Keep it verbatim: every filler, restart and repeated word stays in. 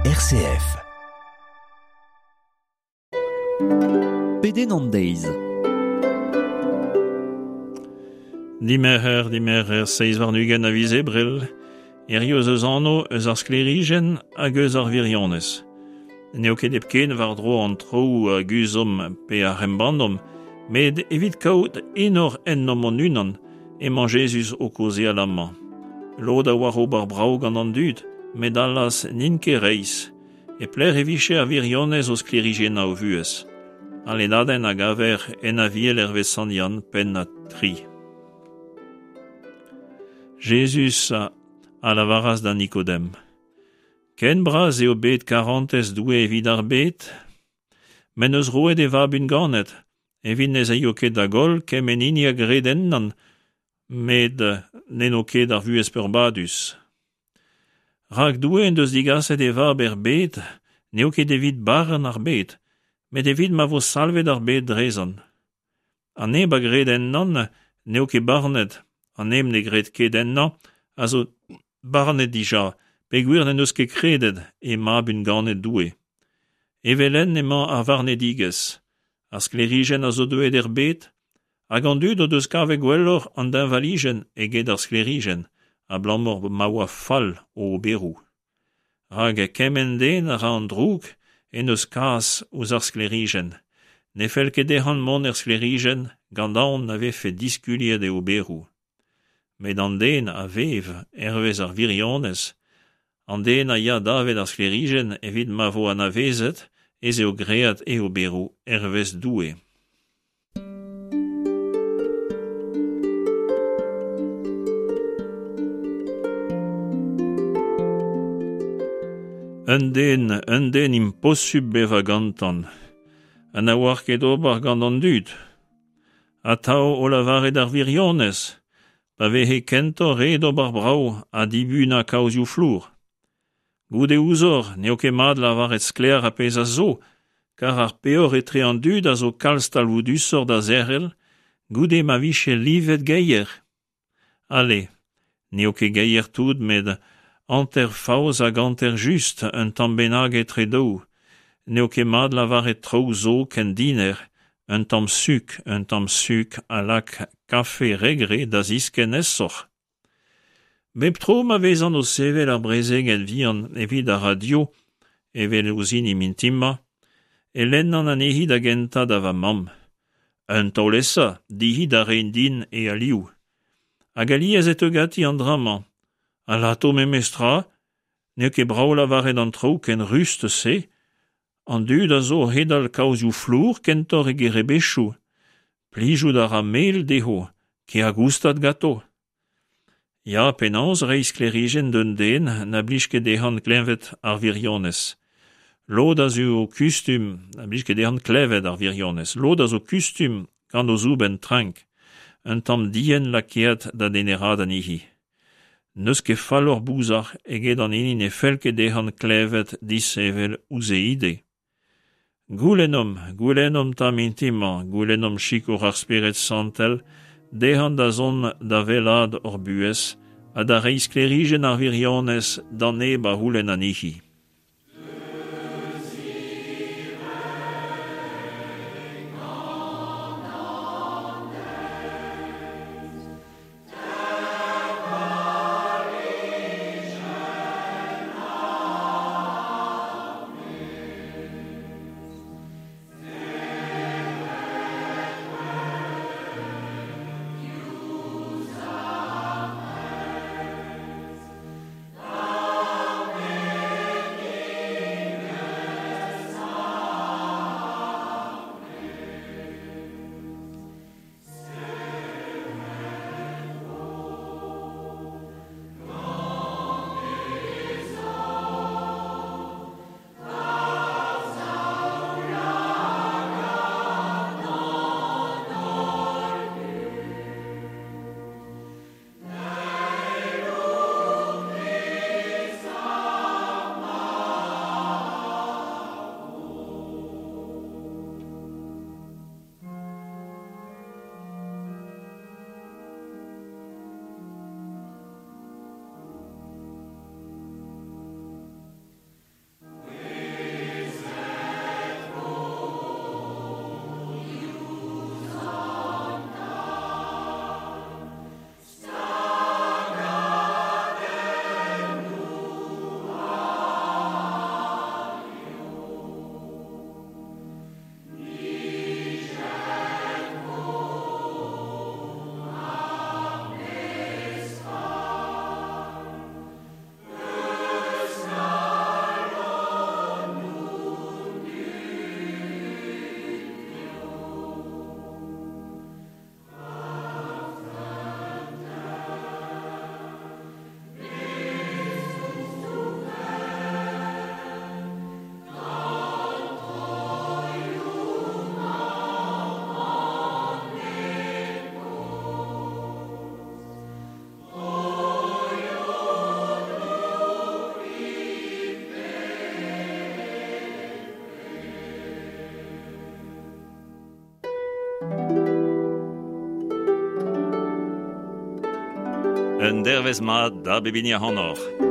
R C F. Pedenn an deiz. Dimerc'her, dimerc'her, seizh warn-ugent a viz Ebrel, hiziv ez eus anv eus ar sklêrijenn hag eus ar wirionez. N'eo ket hepken war-dro an traoù a guzhomp pe a embannomp, met evit kaout enor ennomp hon-unan emañ Jezuz o kaozeal amañ. Lod a oar ober brav gant an dud, met allaz n'int ket reizh. E pelec'h e vije ar wirionez o sklêrijennañ o vuhez. Al lennadenn a gaver en Aviel hervez Sant Yann, pennad tri. Jezuz a lavaras da Nikodem: Ken bras eo bet karantez Doue evit ar bed, m'en deus roet e vab unganet, evit n'ez aio ket da goll kement hini a gred ennañ, met n'en do ket ar vuhez peurbadus. Rak Doue en deus digaset e vab er bed, n'eo ket evit barn ar bed, met evit ma vo salvet ar bed drezañ. An neb a gred ennañ n'eo ket barnet, an neb ne gred ket ennañ a zo barnet dija, peogwir n'en deus ket kredet e mab unganet Doue. Evel-henn emañ ar varnedigezh. Ar sklêrijenn a zo deuet er bed, hag an dud o deus kavet gwelloc'h an deñvalijenn eget ar sklêrijenn, abalamour ma oa fall o oberoù. Rak kement den a ra an droug en deus kas ouzh ar sklêrijenn. Ne fell ket dezhañ mont er sklêrijenn gant aon na vefe diskuliet e oberoù. Met an den a vev hervez ar wirionez, an den a ya davet ar sklêrijenn evit ma vo anavezet ez eo graet e oberoù hervez Doue. Un den, un den imposubl bevañ gantañ, ha na oar ket ober gant an dud. Atav o lavaret ar wirionez, pa veze kentoc'h ret ober brav ha dibunañ kaozioù flour. Goude ouzoc'h n'eo ket mat lavaret sklaer ar pezh a zo, kar ar peoc'h etre an dud a zo kalz talvoudusoc'h da zerc'hel goude ma vije livet geier. Ale, n'eo ket geier tout met hanter faos hag hanter just un tamm bennak etre daou. N'eo ket mat lavaret traoù zo ken dinec'h, un tamm suk, un tamm suk a lak kafe re-gre da ziskenn aesoc'h. Bep tro ma vezan o sevel ar brezegenn vihan evit ar radio, evel ouzh hini mintin-mañ, e lennan anezhi da gentañ da va mamm. Un taol-esa, dezhi da reiñ din e alioù. Hag alies e teu ganti an dra-mañ. Alato memestra, n'eo ket brav lavaret an traoù ken rust-se, an dud a zo o c'hedal kaozioù flour kentoc'h eget rebechoù. Plijout a ra mel dezho, kea goustad ganto. Ya, penaos reiñ sklêrijenn d'un den na blij ket dezhañ klevet ar wirionez. Lod a zo kustum, na blij ket dezhañ klevet ar wirionez. Lod a zo kustum gant o zoubenn trenk, un tamm dienn lakaet da deneraat anezhi. N'eus ket falloc'h bouzar eget an hini ne fell ket dezhañ klevet disheñvel ouzh e ide. Goulennomp, goulennomp 'ta mintin-mañ, goulennomp sikour ar Spered Santel, dezhañ da zont da wellaat hor buhez ha da reiñ sklêrijenn ar wirionez d'an neb a c'houlenn anezhi. Un dervezh mat da bep hini ac'hanoc'h.